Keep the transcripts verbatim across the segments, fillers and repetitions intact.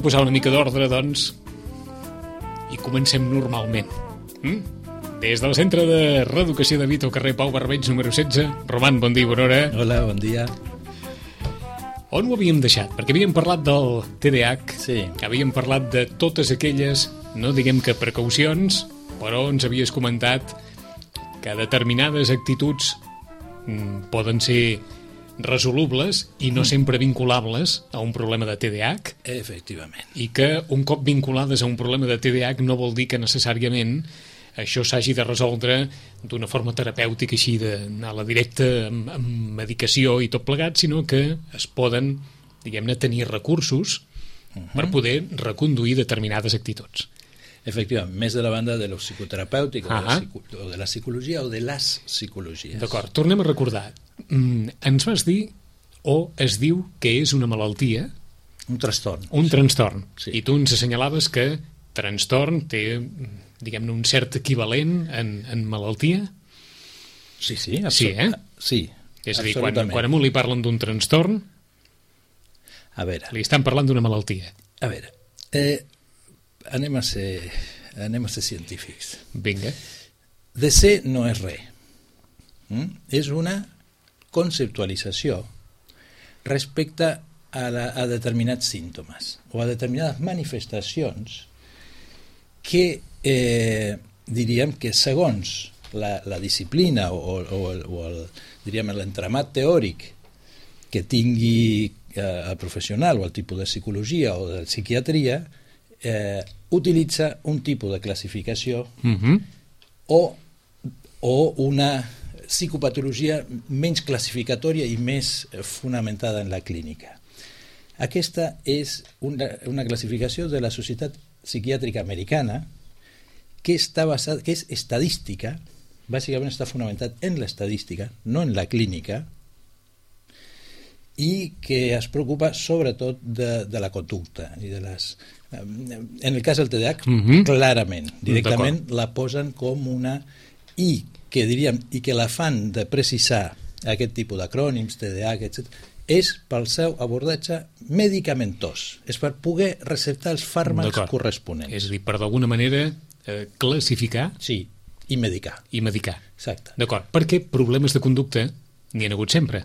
per posar una mica d'ordre, doncs, i comencem normalment. Mm? Des del Centre de Reeducació de Vito, carrer Pau Barbeig, número setze. Roman, bon dia, bona hora. Hola, bon dia. On ho havíem deixat? Perquè havíem parlat del T D A H, sí. Havíem parlat de totes aquelles, no diguem que precaucions, però ens havies comentat que determinades actituds mm, poden ser resolubles i no sempre vinculables a un problema de T D A H. Efectivament. I que un cop vinculades a un problema de T D A H no vol dir que necessàriament això s'hagi de resoldre d'una forma terapèutica, així d'anar a la directa amb, amb medicació i tot plegat, sinó que es poden, diguem-ne, tenir recursos uh-huh. per poder reconduir determinades actituds. Efectivament, més de la banda de lo psicoterapèutic uh-huh. o, de la psico, o de la psicologia o de les psicologies. D'acord, tornem a recordar. Mm, ens vas dir, o es diu que és una malaltia... Un trastorn. Un sí. trastorn. Sí. I tu ens assenyalaves que trastorn té... diguem-ne, un cert equivalent en, en malaltia? Sí, sí, absolut- sí, eh? sí, és a dir, quan, quan a un li parlen d'un trastorn, a veure, li estan parlant d'una malaltia. A veure, eh, anem, a ser, anem a ser científics. Vinga. De ser no és res. Mm? És una conceptualització respecte a, la, a determinats símptomes o a determinades manifestacions que eh, diríem que segons la, la disciplina o, o, o, el, o el, diríem l'entramat teòric que tingui eh, el professional o el tipus de psicologia o de psiquiatria eh, utilitza un tipus de classificació uh-huh. o, o una psicopatologia menys classificatòria i més fonamentada en la clínica. Aquesta és una, una classificació de la Societat Psiquiàtrica Americana que està basada, que és estadística, bàsicament està fonamentat en l'estadística, no en la clínica, i que es preocupa sobretot de, de la conducta i de les... En el cas del T D A H, uh-huh. clarament, directament la posen com una... i que diríem, i que la fan de precisar aquest tipus d'acrònims, T D A H, etcètera, és pel seu abordatge medicamentós, és per poder receptar els fàrmacs corresponents. És a dir, per d'alguna manera eh, classificar sí, i medicar. I medicar. Exacte. D'acord, perquè problemes de conducta n'hi ha hagut sempre.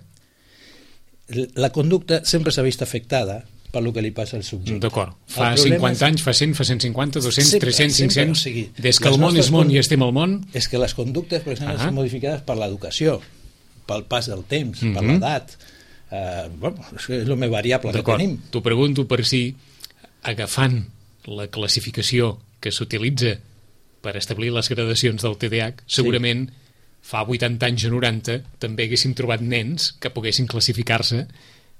La conducta sempre s'ha vist afectada per el que li passa al subjecte. D'acord. Fa cinquanta anys, fa cent, fa cent cinquanta, dos-cents, tres-cents, cinc-cents, o sigui, des que el món és món i estem al món... És que les conductes, per exemple, uh-huh. són modificades per l'educació, pel pas del temps, uh-huh. per l'edat... Uh, bueno, és el més variable que tenim. T'ho pregunto per si, agafant la classificació que s'utilitza per establir les gradacions del T D A H, segurament sí. fa vuitanta anys o noranta també haguéssim trobat nens que poguessin classificar-se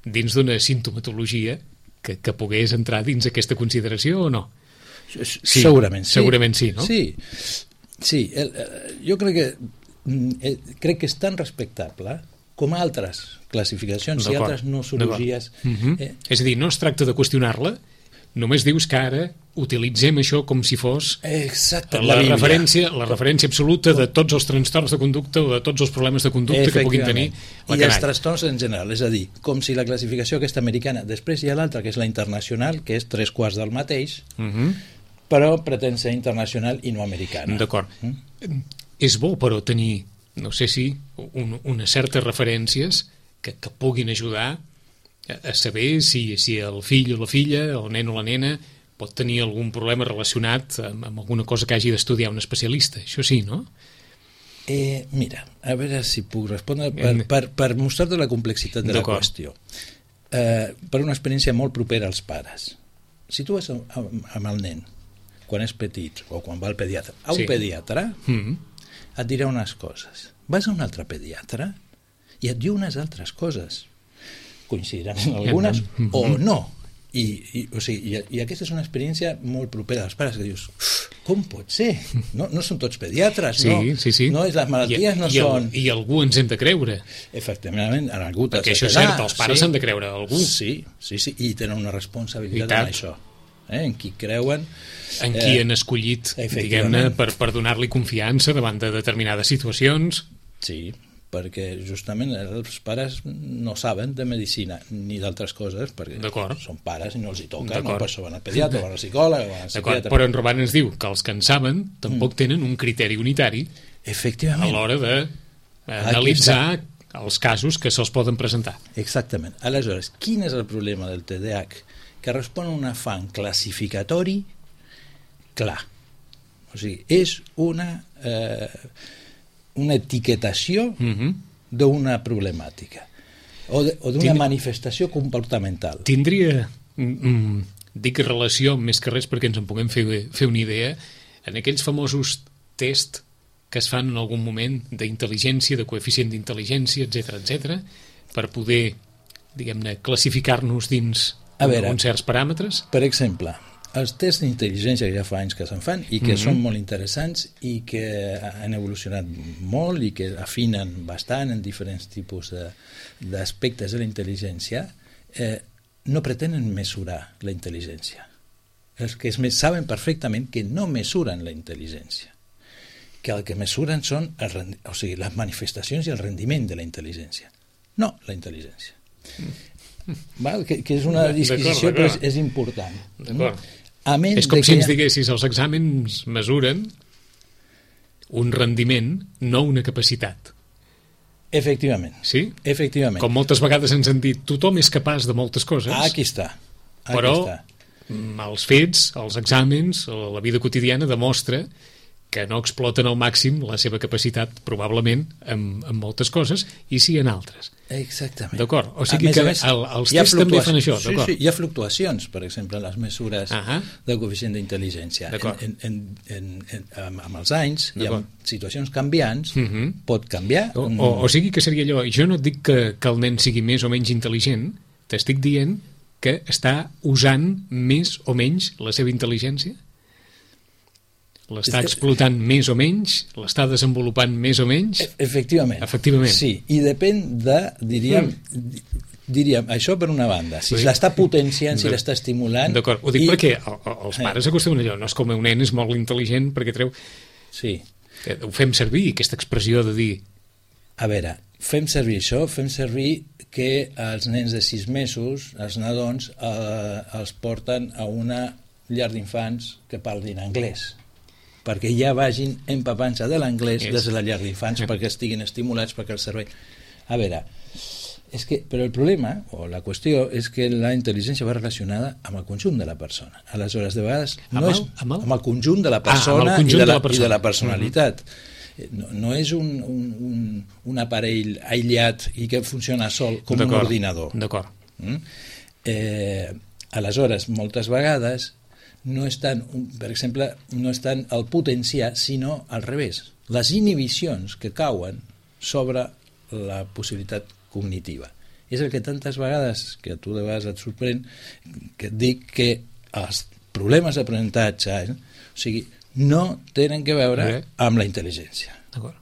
dins d'una sintomatologia que, que pogués entrar dins aquesta consideració o no? Sí, segurament sí. Segurament sí, no? Sí, sí. El, jo crec que, el, crec que és tan respectable com altres classificacions i altres nosologies. Uh-huh. eh? És a dir, no es tracta de qüestionar-la, només dius que ara utilitzem això com si fos Exacte, la, la, referència, la referència absoluta de tots els trastorns de conducta o de tots els problemes de conducta que puguin tenir la I els trastorns en general, és a dir, com si la classificació aquesta americana, després hi ha l'altra que és la internacional, que és tres quarts del mateix, uh-huh. però pretén ser internacional i no americana. D'acord. Mm? És bo, però, tenir, no sé si, un, unes certes referències que, que puguin ajudar a, a saber si, si el fill o la filla, el nen o la nena, pot tenir algun problema relacionat amb, amb alguna cosa que hagi d'estudiar un especialista. Això sí, no? Eh, mira, a veure si puc respondre per, per, per mostrar-te la complexitat de la qüestió. Eh, per una experiència molt propera als pares. Si tu vas amb, amb el nen quan és petit o quan va al pediatre, a un sí. pediatre mm-hmm. et dirà unes coses. Vas a un altre pediatre i et diu unes altres coses. Coincidiran en algunes mm-hmm. o no. I, i, o sigui, i, i aquesta és una experiència molt propera als pares, que dius, com pot ser? No, no són tots pediatres, sí, no? Sí, sí. No, les malalties I, no i són... El, I algú ens hem de creure. Efectivament, en algú... Perquè això és cert, els pares s'han sí. de creure algú. Sí, sí, sí, i tenen una responsabilitat en això. Eh? En qui creuen... En qui eh, han escollit, diguem-ne, per, per donar-li confiança davant de determinades situacions. Sí, perquè justament els pares no saben de medicina ni d'altres coses, perquè són pares i no els hi toca, no? Per això van al pediatre, van al psicòleg, van al psiquiatre. Però en Roman ens diu que els que en saben tampoc mm. tenen un criteri unitari a l'hora d'analitzar els casos que se'ls poden presentar. Exactament. Aleshores, quin és el problema del T D A H? Que respon a un afany classificatori clar. O sigui, és una... Eh, una etiquetació uh-huh. d'una problemàtica o d'una Tind... manifestació comportamental. Tindria, mm, dic relació més que res perquè ens en puguem fer, fer una idea, en aquells famosos test que es fan en algun moment d'intel·ligència, de coeficient d'intel·ligència, etcètera, etcètera, per poder, diguem-ne, classificar-nos dins veure, uns certs paràmetres? Per exemple, els tests d'intel·ligència que ja fa anys que se'n fan i que mm-hmm. són molt interessants i que han evolucionat molt i que afinen bastant en diferents tipus d'aspectes de, de la intel·ligència, eh, no pretenen mesurar la intel·ligència. Els que es saben perfectament que no mesuren la intel·ligència, que el que mesuren són el, o sigui, les manifestacions i el rendiment de la intel·ligència, no la intel·ligència. Mm. Val? Que, que és una disquisició però és, és important. D'acord. És com si ens diguessis els exàmens mesuren un rendiment, no una capacitat. Efectivament. Sí? Efectivament. Com moltes vegades ens han dit, tothom és capaç de moltes coses. Ah, aquí està. Aquí però està. Els fets, els exàmens, la vida quotidiana demostra que no exploten al màxim la seva capacitat, probablement, en, en moltes coses, i sí en altres. Exactament. D'acord? O sigui que més, el, els tests també fan això, sí, sí, hi ha fluctuacions, per exemple, en les mesures uh-huh. del coeficient d'intel·ligència. En, en, en, en, amb els anys, i amb situacions canviants, uh-huh. pot canviar. O, o, o sigui que seria allò, jo no et dic que, que el nen sigui més o menys intel·ligent, t'estic dient que està usant més o menys la seva intel·ligència? L'està explotant més o menys? L'està desenvolupant més o menys? Efectivament. Efectivament. Sí, i depèn de, diríem, mm. diríem, això per una banda, si sí. l'està potenciant, si l'està estimulant... D'acord, ho dic i... perquè els pares acostumen allò, no és com un nen és molt intel·ligent perquè treu... Sí. Ho fem servir, aquesta expressió de dir... A veure, fem servir això, fem servir que els nens de sis mesos, els nadons, eh, els porten a una llar d'infants que parlin anglès, perquè ja vagin empapant-se de l'anglès yes. des de la llar d'infants, yeah. perquè estiguin estimulats, perquè el cervell... A veure, és que, però el problema, o la qüestió, és que la intel·ligència va relacionada amb el conjunt de la persona. Aleshores, de vegades, no amb el, és amb el? amb el conjunt de la persona, ah, i, de la, de la persona. i de la personalitat. Uh-huh. No, no és un, un, un, un aparell aïllat i que funciona sol com un ordinador. D'acord. Mm? Eh, aleshores, moltes vegades no estan, per exemple, no estan al potenciar, sinó al revés. Les inhibicions que cauen sobre la possibilitat cognitiva. És el que tantes vegades, que a tu de vegades et sorprèn, que et dic que els problemes d'aprenentatge, eh, o sigui, no tenen que veure eh? amb la intel·ligència. D'acord.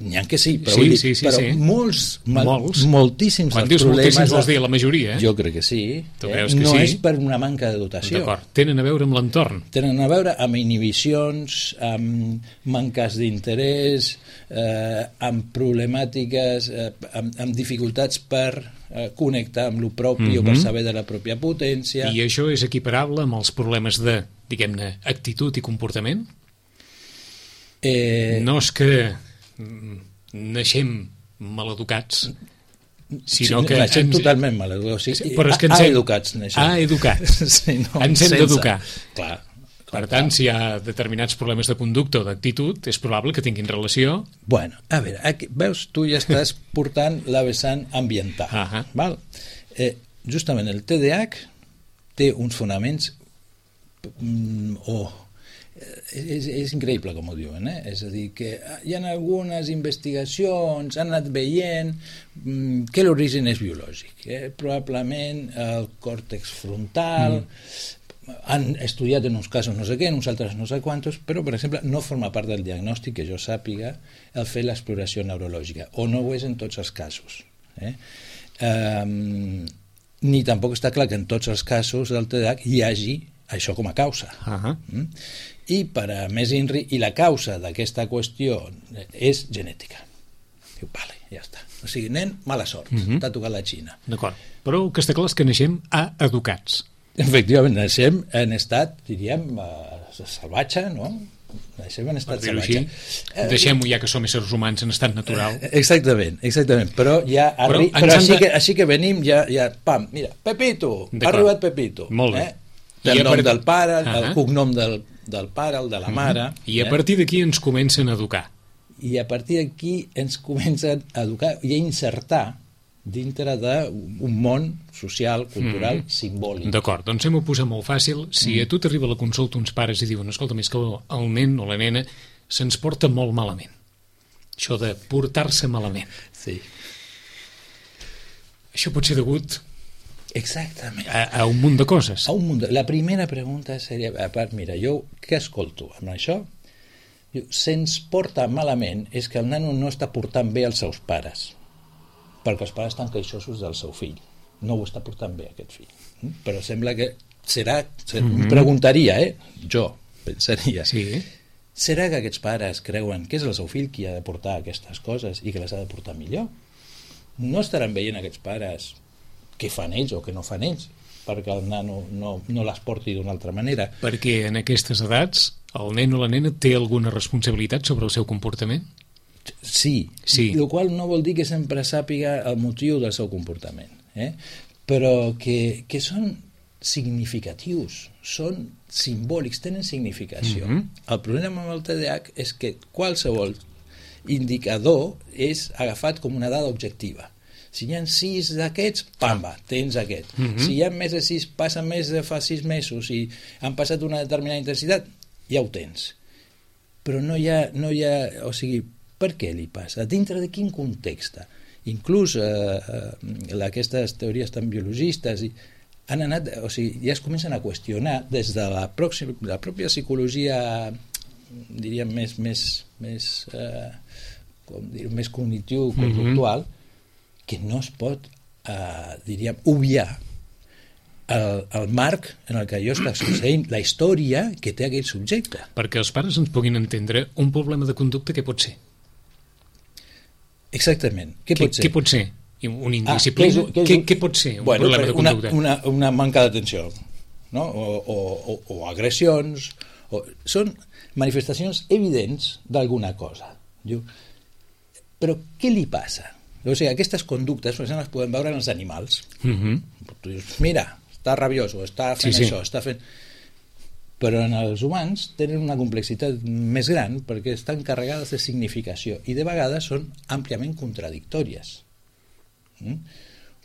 N'hi ha que sí, però, sí, vull dir, sí, sí, però sí. molts, molts, moltíssims quan dius problemes... moltíssims vols dir la majoria, eh? Jo crec que sí. Tu eh? veus que no sí? és per una manca de dotació. D'acord, tenen a veure amb l'entorn. Tenen a veure amb inhibicions, amb manques d'interès, eh, amb problemàtiques, eh, amb, amb dificultats per eh, connectar amb el propi mm-hmm. o per saber de la pròpia potència. I això és equiparable amb els problemes de, diguem-ne, actitud i comportament? Eh... No és que naixem maleducats, sinó sí, que... Naixem ens... totalment maleducats. O sigui, però és que ens a, hem... educats naixem. Ah, educats. Sí, no, ens hem d'educar. Clar. Per tant, si hi ha determinats problemes de conducta o d'actitud, és probable que tinguin relació... Bueno, a veure, aquí, veus, tu ja estàs portant la vessant ambiental. Uh-huh. Val? Eh, justament el T D A H té uns fonaments mm, o... Oh, És, és increïble com ho diuen, eh? És a dir, que hi ha algunes investigacions, han anat veient mm, que l'origen és biològic, eh? Probablement el còrtex frontal, mm. han estudiat en uns casos no sé què, en uns altres no sé quantos, però per exemple no forma part del diagnòstic que jo sàpiga el fer l'exploració neurològica, o no ho és en tots els casos, eh? Um, ni tampoc està clar que en tots els casos del T D A H hi hagi això com a causa. Uh-huh. Mm? I per a més inri, i la causa d'aquesta qüestió és genètica. Diu, vale, ja està. O sigui, nen, mala sort, uh -huh. t'ha tocat la Xina. D'acord, però el que està clar és que naixem a educats. Efectivament, naixem en estat, diríem, uh, salvatge, no? Naixem en estat salvatge. Eh, Deixem-ho ja que som éssers humans en estat natural. Eh, exactament, exactament. Però ja però, arri... però així, de... que, així que venim, ja, ja pam, mira, Pepito, ha arribat Pepito. Molt bé. Eh? El nom part... del pare, el uh -huh. cognom del, del pare, el de la mare. Uh -huh. I a partir d'aquí ens comencen a educar. I a partir d'aquí ens comencen a educar i a insertar dintre d'un món social, cultural, mm. simbòlic. D'acord, doncs hem-ho posat molt fàcil. Si mm. a tu t'arriba a la consulta uns pares i diuen, escolta, més que el nen o la nena se'ns porta molt malament. Això de portar-se malament. Sí. Això pot ser degut exactament a, a un munt de coses. A un munt de... La primera pregunta seria, a part, mira, jo què escolto amb això? Se'ns porta malament és que el nano no està portant bé els seus pares, perquè els pares estan queixosos del seu fill, no ho està portant bé aquest fill, però sembla que serà, serà mm -hmm. preguntaria, eh? jo pensaria, sí. serà que aquests pares creuen que és el seu fill qui ha de portar aquestes coses i que les ha de portar millor? No estaran veient aquests pares què fan ells o què no fan ells perquè el nano no, no les porti d'una altra manera? Perquè en aquestes edats el nen o la nena té alguna responsabilitat sobre el seu comportament? Sí, sí. El qual no vol dir que sempre sàpiga el motiu del seu comportament, eh? Però que, que són significatius, són simbòlics, tenen significació. Mm-hmm. El problema amb el T D A H és que qualsevol indicador és agafat com una dada objectiva. Si hi ha sis d'aquests, pamba, tens aquest. Mm-hmm. Si hi ha més de sis, passen més de fa sis mesos i han passat una determinada intensitat, ja ho tens. Però no hi ha, no hi ha o sigui, per què li passa? Dintre de quin context? Inclús eh, eh, aquestes teories tan biologistes i han anat, o sigui, ja es comencen a qüestionar des de la, pròxima, la pròpia psicologia, diríem, més, més, més, eh, com dir, més cognitiu-conductual, mm-hmm. que no es pot, eh, diríem, obviar el, el marc en el que allò està succeint, la història que té aquell subjecte. Perquè els pares ens puguin entendre un problema de conducta, què pot ser? Exactament. Què, què pot ser? Què pot ser? Un indisciplina? Ah, què, què, què pot ser un bueno, problema de conducta? Una, una, una manca d'atenció, no? o, o, o, o agressions. O... Són manifestacions evidents d'alguna cosa. Diu, però què li passa? O sigui, aquestes conductes, per exemple, les podem veure en els animals. Mm-hmm. Tu dius, mira, està rabioso, està fent sí, això, sí. està fent... Però en els humans tenen una complexitat més gran perquè estan carregades de significació i de vegades són àmpliament contradictòries. Mm?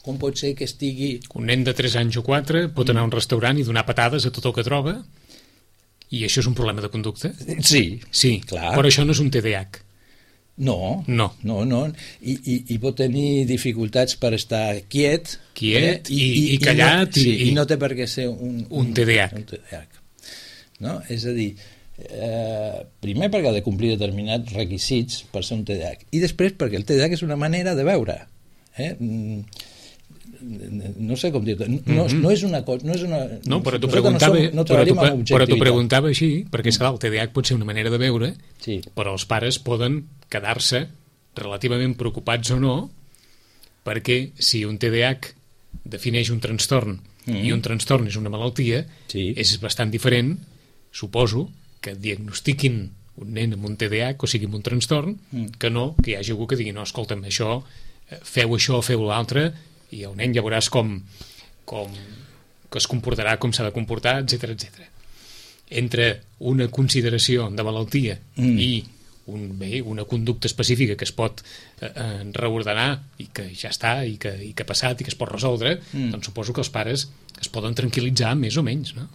Com pot ser que estigui... Un nen de tres anys o quatre pot anar a un restaurant i donar patades a tot el que troba i això és un problema de conducta? Sí, sí, clar. Però això no és un T D A H. No, no, no, no. I, i, i pot tenir dificultats per estar quiet, quiet eh? i, i, i callat i no, sí, i, i no té per què ser un, un, un T D A H. Un T D A H. No? És a dir, eh, primer perquè ha de complir determinats requisits per ser un T D A H i després perquè el T D A H és una manera de veure, eh? No sé com dir-ho, no, mm-hmm. no és una cosa, no és una... No, però t'ho preguntava, no som, no però però t'ho preguntava així, perquè mm. el T D A H pot ser una manera de veure, sí. però els pares poden quedar-se relativament preocupats o no, perquè si un T D A H defineix un trastorn mm. i un trastorn és una malaltia, sí. és bastant diferent, suposo, que diagnostiquin un nen amb un T D A H, o sigui, amb un trastorn, mm. que no, que hi hagi algú que digui, no, escolta'm, això, feu això o feu l'altre, i el nen ja veuràs com, com que es comportarà com s'ha de comportar, etcètera, etcètera. Entre una consideració de malaltia mm. i un, bé, una conducta específica que es pot eh, reordenar i que ja està, i que, i que ha passat i que es pot resoldre, mm. doncs suposo que els pares es poden tranquil·litzar més o menys, no?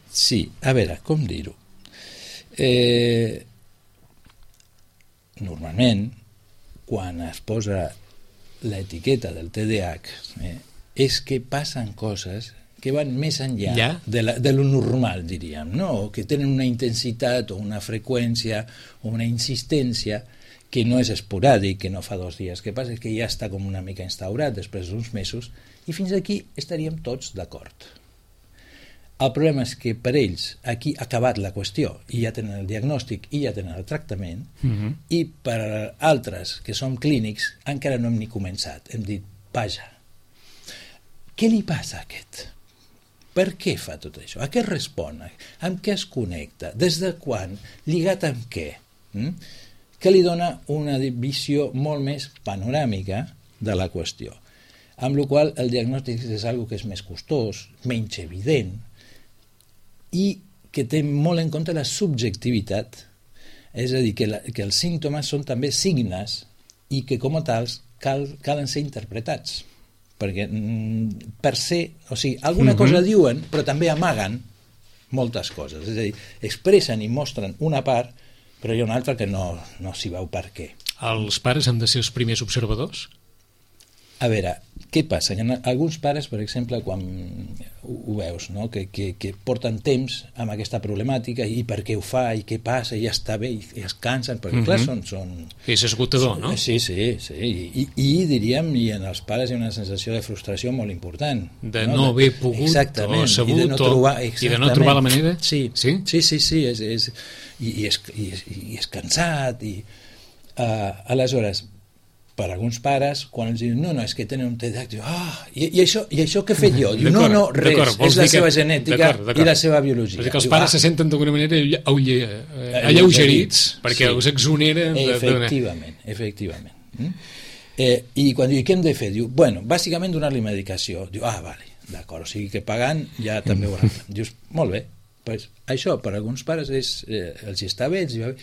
Sí, a veure, com dir-ho? Eh, normalment, quan es posa l'etiqueta del T D A H, eh, és que passen coses que van més enllà ja? de, la, de lo normal, diríem, no? Que tenen una intensitat o una freqüència o una insistència que no és esporàdic, que no fa dos dies, que passa és que ja està com una mica instaurat després d'uns mesos, i fins aquí estaríem tots d'acord. El problema és que per ells aquí ha acabat la qüestió i ja tenen el diagnòstic i ja tenen el tractament, uh-huh. i per altres que som clínics encara no hem ni començat. Hem dit, vaja, què li passa a aquest? Per què fa tot això? A què respon? Amb què es connecta? Des de quan? Lligat amb què? Mm? Que li dona una visió molt més panoràmica de la qüestió. Amb la qual el diagnòstic és algo que és més costós, menys evident, i que té molt en compte la subjectivitat, és a dir, que, la, que els símptomes són també signes i que com a tals cal, calen ser interpretats, perquè mm, per ser, o sigui, alguna uh-huh. cosa diuen però també amaguen moltes coses, és a dir, expressen i mostren una part però hi ha una altra que no, no s'hi veu per què. Els pares han de ser els primers observadors? A veure, què passa? Hi ha alguns pares, per exemple, quan ho, ho veus, no? que, que, que porten temps amb aquesta problemàtica i per què ho fa, i què passa, i ja està bé, i es cansen, perquè, mm-hmm. clar, són... són és esgotador, són, no? Sí, sí, sí. I, i diríem, i en els pares hi ha una sensació de frustració molt important. De no, no haver pogut exactament, o sabut, i de no trobar, i de no trobar la manera? Sí, sí, sí, sí, sí és, és, i, i, és, i, és, i és cansat, i uh, aleshores... per alguns pares, quan els diuen no, no, és que tenen un T D A H, diu, ah, i, i, això, i això què he fet jo? Diu, no, no, res, és la seva genètica d'acord, d'acord. I la seva biologia. És que els diu, pares ah, se senten d'alguna manera alleugerits, perquè sí. us exoneren de, efectivament, de... efectivament. Mm? Eh, I quan diu, què hem de fer? Diu, bueno, bàsicament donar-li medicació. Diu, ah, vale, d'acord, o sigui que pagant ja també ho hauran. Dius, molt bé, pues, això per alguns pares és, eh, els està bé, els va bé.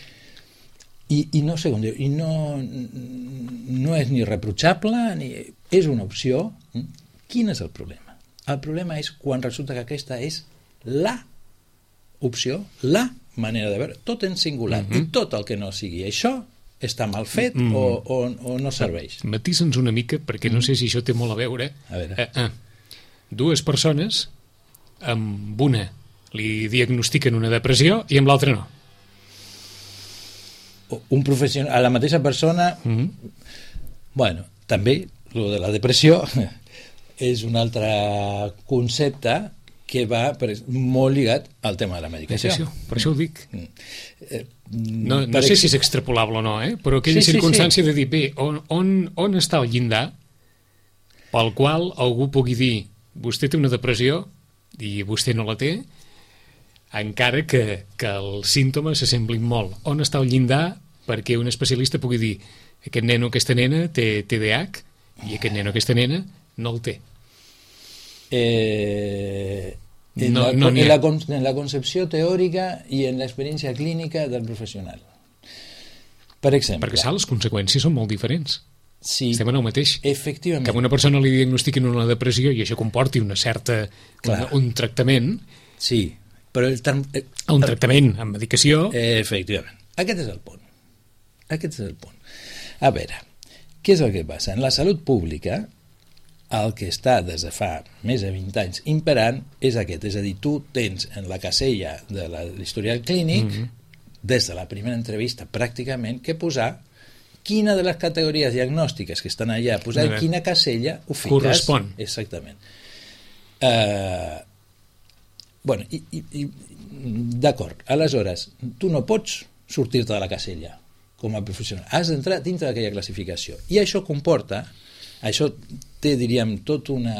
I, i no sé com dir, i no, no és ni reprotxable ni és una opció. Quin és el problema? El problema és quan resulta que aquesta és la opció, la manera de veure, tot en singular, mm-hmm. i tot el que no sigui això està mal fet mm-hmm. o, o, o no serveix. Matisa'ns una mica, perquè no sé si això té molt a veure. A veure. Eh, eh, dues persones, amb una li diagnostiquen una depressió i amb l'altra no. Un professional, a la mateixa persona, mm-hmm. bueno, també lo de la depressió és un altre concepte que va per, molt lligat al tema de la medicació. medicació per això ho dic. Eh, no no sé si és extrapolable o no, eh? Però aquella sí, circumstància sí, sí. de dir, bé, on, on, on està el llindar pel qual algú pugui dir vostè té una depressió i vostè no la té, encara que, que els símptomes s'assemblin molt. On està el llindar perquè un especialista pugui dir aquest nen o aquesta nena té T D A H i aquest nen o aquesta nena no el té? Eh, en, no, la, no en, la, en la concepció teòrica i en l'experiència clínica del professional. Per exemple... Perquè saps, les conseqüències són molt diferents. Sí, estem en el mateix. Efectivament. Que a una persona li diagnostiquin una depressió i això comporti una certa, un, un tractament... Sí, però el term... un tractament amb medicació... Efectivament. Aquest és el punt. Aquest és el punt. A veure, què és el que passa? En la salut pública, el que està des de fa més de vint anys imperant és aquest. És a dir, tu tens en la casella de l'historial clínic, mm-hmm. des de la primera entrevista pràcticament, que posar quina de les categories diagnòstiques que estan allà, posar en quina casella ho fiques. Correspon. Exactament. Eh... Uh, Bueno, i, i, i, d'acord, aleshores, tu no pots sortir-te de la casella com a professional, has d'entrar dintre d'aquella classificació, i això comporta, això té, diríem, tot una,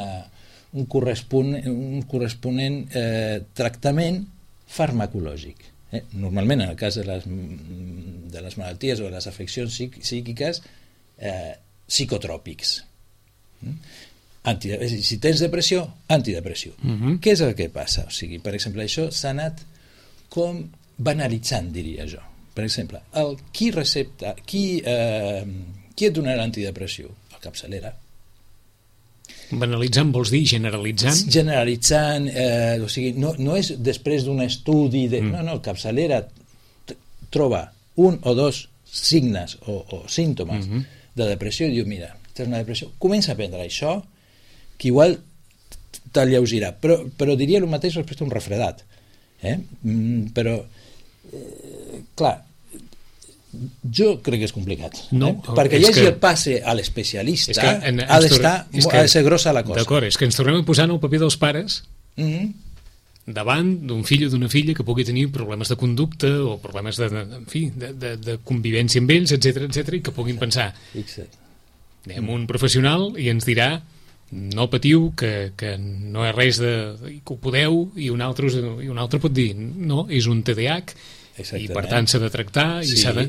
un corresponent, un corresponent eh, tractament farmacològic. Eh? Normalment, en el cas de les, de les malalties o de les afeccions psíquiques, eh, psicotròpics. Mm? Si tens depressió, antidepressiu. Uh-huh. Què és el que passa? O sigui, per exemple, això s'ha anat com banalitzant, diria jo. Per exemple, el, qui recepta, qui, eh, qui et donarà l'antidepressiu? El capçalera. Banalitzant vols dir generalitzant? Generalitzant, eh, o sigui, no, no és després d'un estudi, de, mm. no, no, el capçalera troba un o dos signes o, o símptomes mm-hmm. de depressió i diu, mira, tens una depressió, comença a prendre això, que igual t'alleugirà, però, però diria el mateix respecte a un refredat. Eh? Mm, però, eh, clar, jo crec que és complicat. No, eh? Perquè hi hagi que... el passe a l'especialista, ha d'estar, ha de ser grossa la cosa. D'acord, és que ens tornem a posar en el paper dels pares, mm-hmm. davant d'un fill o d'una filla que pugui tenir problemes de conducta o problemes de, de, en fi, de, de, de convivència amb ells, etcètera, etcètera, i que puguin pensar, anem un professional i ens dirà no patiu, que, que no és res de, que ho podeu, i un altre, i un altre pot dir no, és un T D A H. Exactament. I per tant s'ha de tractar i sí, s'ha de...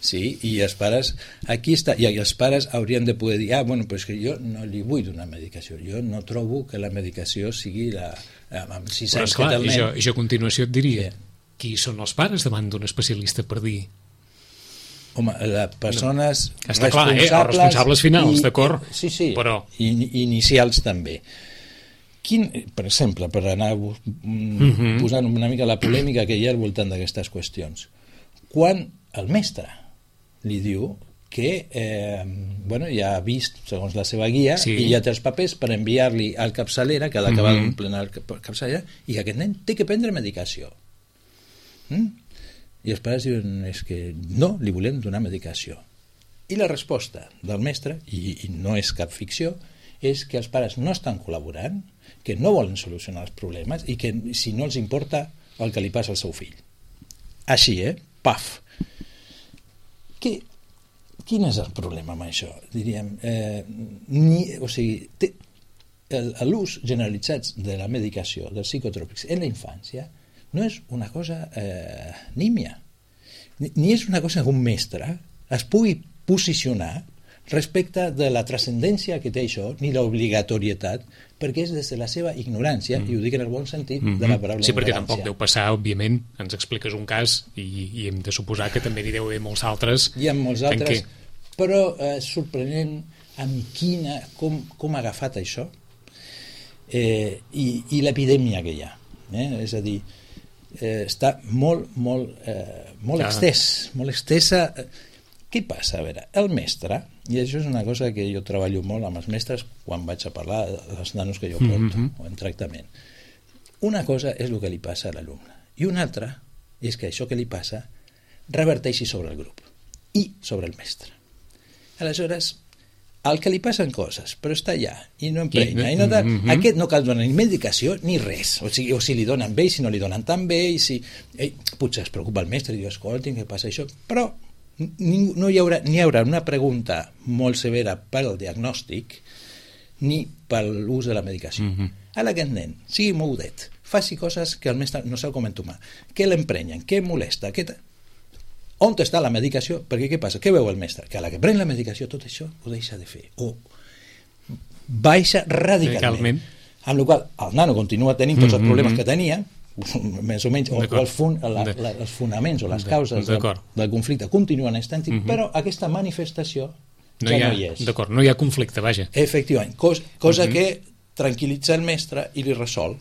Sí, i els pares aquí està, i els pares haurien de poder dir ah, bueno, però és que jo no li vull donar medicació, jo no trobo que la medicació sigui la, amb sis anys que té el nen. Jo, jo a continuació et diria sí. Qui són els pares davant d'un especialista per dir home, les persones no. Està clar, eh? Els responsables finals, i, d'acord? Sí, sí, però... i, inicials també. Quin, per exemple, per anar mm-hmm. posant una mica la polèmica que hi ha al voltant d'aquestes qüestions, quan el mestre li diu que eh, bueno, ja ha vist segons la seva guia sí. I ja té els papers per enviar-li al capçalera que ha d'acabar mm-hmm. d'omplir el capçalera i que aquest nen té que prendre medicació mm? I els pares diuen és que no, li volem donar medicació i la resposta del mestre i, i no és cap ficció és que els pares no estan col·laborant, que no volen solucionar els problemes i que si no els importa el que li passa al seu fill. Així, eh? Paf! Que, quin és el problema amb això? Diríem, eh, ni, o sigui, té, l'ús generalitzat de la medicació, dels psicotròpics en la infància no és una cosa eh, nímia, ni, ni és una cosa que un mestre es pugui posicionar respecte de la transcendència que té això, ni l'obligatorietat, perquè és des de la seva ignorància, mm. i ho dic en el bon sentit mm-hmm. de la paraula sí, ignorància. Perquè tampoc deu passar, òbviament, ens expliques un cas i, i hem de suposar que també n'hi deu haver molts altres. Hi ha molts altres, què... però és eh, sorprenent amb quina, com, com ha agafat això eh, i, i l'epidèmia que hi ha. Eh? És a dir, eh, està molt, molt, eh, molt ja. extès, molt extesa. Què passa? A veure, el mestre, i això és una cosa que jo treballo molt amb els mestres quan vaig a parlar dels nanos que jo porto, mm-hmm. o en tractament. Una cosa és el que li passa a l'alumne, i una altra és que això que li passa reverteixi sobre el grup i sobre el mestre. Aleshores, al que li passen coses, però està allà, i no emprenya, i no tal, mm-hmm. aquest no cal donar ni medicació ni res, o sigui, o si li donen bé, i si no li donen tan bé, i si... Eh, potser es preocupa el mestre i diu, escolti, què passa això? Però Ningú, no hi haurà, ni hi haurà una pregunta molt severa pel diagnòstic ni per l'ús de la medicació. Mm-hmm. Ara aquest nen sigui moudet, faci coses que el mestre no sap com entomar, que l'emprenyen, que molesta, que... on està la medicació? Perquè què passa? Què veu el mestre? Que a la que pren la medicació tot això ho deixa de fer o baixa radicalment, amb la qual el nano continua tenint tots els problemes que tenia més o menys, o, o el fun, la, la, els fonaments o les causes del, del conflicte continuen estant, mm-hmm. però aquesta manifestació no ja hi ha, no hi és. D'acord, no hi ha conflicte, vaja. Efectivament, cos, cosa mm-hmm. que tranquil·litza el mestre i li resol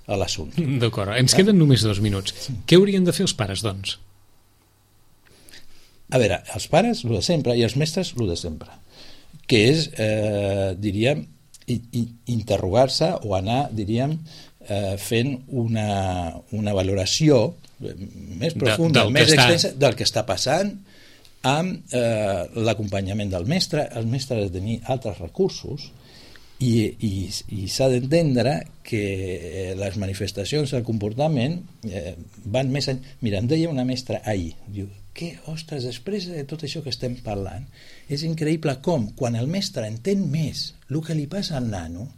l'assumpte. D'acord, ens queden només dos minuts. Què haurien de fer els pares, doncs? A veure, els pares, el de sempre, i els mestres, el de sempre. Que és, eh, diríem, i, i, interrogar-se o anar, diríem, Eh, fent una, una valoració més profunda, de, més extensa del que està passant amb eh, l'acompanyament del mestre. El mestre ha de tenir altres recursos i, i, i s'ha d'entendre que les manifestacions del comportament eh, van més enllà. Mira, em deia una mestra ahir, diu, que, ostres, després de tot això que estem parlant, és increïble com, quan el mestre entén més el que li passa al nano,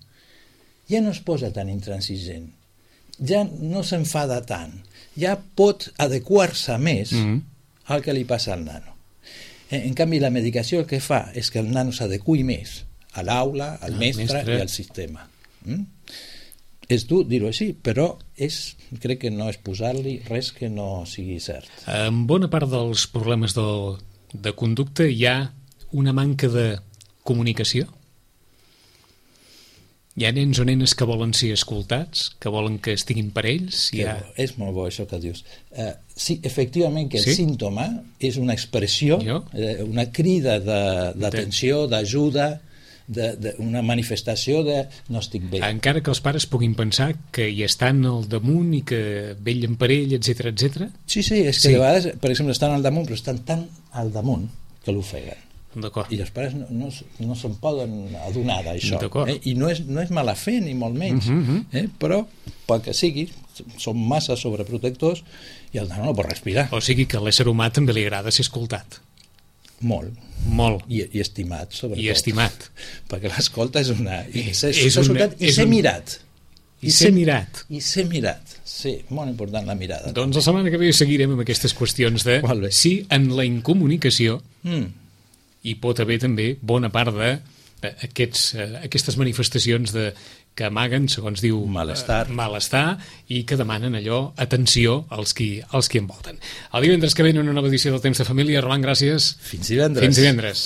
ja no es posa tan intransigent, ja no s'enfada tant, ja pot adequar-se més mm-hmm. al que li passa al nano. En canvi, la medicació el que fa és que el nano s'adequi més a l'aula, al mestre, mestre i al sistema. Mm? És dur dir-ho així, però és, crec que no és posar-li res que no sigui cert. En bona part dels problemes de, de conducta hi ha una manca de comunicació? Hi ha nens o nenes que volen ser escoltats, que volen que estiguin per ells? Ha... És molt bo això que dius. Uh, sí, efectivament que el sí? símptoma és una expressió, uh, una crida d'atenció, de, d'ajuda, de, de, una manifestació de no estic bé. Encara que els pares puguin pensar que hi estan al damunt i que vellen per ell, etcètera, etcètera. Sí, sí, és que sí. De vegades, per exemple, estan al damunt, però estan tan al damunt que l'ofeguen. I els pares no, no, no se'n poden adonar d'això, eh? I no és, no és mala fe ni molt menys, uh-huh. eh? Però pel que sigui, són massa sobreprotectors i el nano no pot respirar. O sigui que a l'ésser humà també li agrada ser escoltat. Molt. Molt. I, i estimat, sobretot. I estimat. Perquè l'escolta és una... I ser, és ser escoltat una, i ser un... mirat. I, I ser, ser mirat. I ser mirat. Sí, molt important la mirada. Doncs la setmana que ve seguirem amb aquestes qüestions de si en la incomunicació mm. hi pot haver també bona part de aquests, aquestes manifestacions de, que amaguen, segons diu, malestar. Eh, malestar i que demanen allò, atenció als qui, als qui envolten. El divendres que ve en una nova edició del Temps de Família. Roland, gràcies. Fins divendres. Fins divendres.